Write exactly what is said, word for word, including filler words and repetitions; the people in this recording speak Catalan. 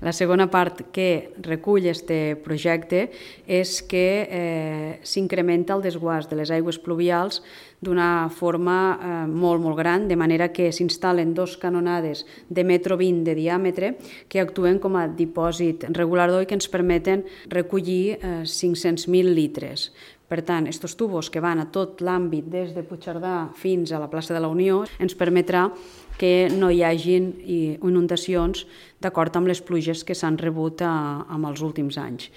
La segona part que recull aquest projecte és que eh, s'incrementa el desguàs de les aigües pluvials d'una forma eh, molt, molt gran, de manera que s'instal·len dos canonades de metro vint de diàmetre que actuen com a dipòsit regulador i que ens permeten recollir eh, cinc-cents mil litres. Per tant, aquests tubos que van a tot l'àmbit des de Puigcerdà fins a la plaça de la Unió ens permetrà que no hi hagin inundacions d'acord amb les pluges que s'han rebut a, amb els últims anys.